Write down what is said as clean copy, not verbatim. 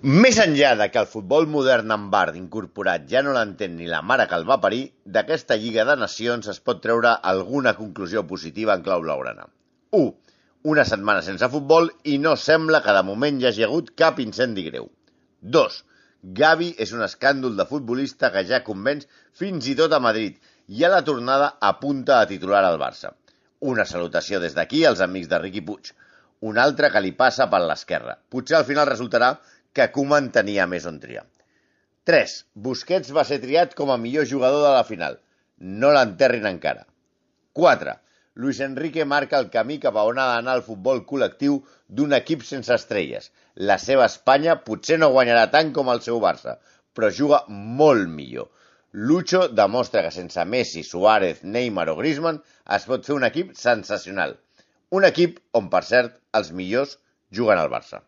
Més enllà de que el futbol modern amb VAR incorporat ja no l'entén ni la mare que el va parir, d'aquesta Lliga de Nacions es pot treure alguna conclusió positiva en clau blaugrana. 1. Una setmana sense futbol i no sembla que de moment hi hagi hagut cap incendi greu. 2. Gavi és un escàndol de futbolista que ja convenç fins i tot a Madrid i a la tornada apunta a titular al Barça. Una salutació des d'aquí als amics de Riqui Puig. Un altre que li passa per l'esquerra. Potser al final resultarà que Koeman tenia més on triar. 3. Busquets va ser triat com a millor jugador de la final. No l'enterrin encara. 4. Luis Enrique marca el camí cap a on ha d'anar el futbol col·lectiu d'un equip sense estrelles. La seva Espanya potser no guanyarà tant com el seu Barça, però juga molt millor. Lucho demostra que sense Messi, Suárez, Neymar o Griezmann es pot fer un equip sensacional. Un equip on, per cert, els millors juguen al Barça.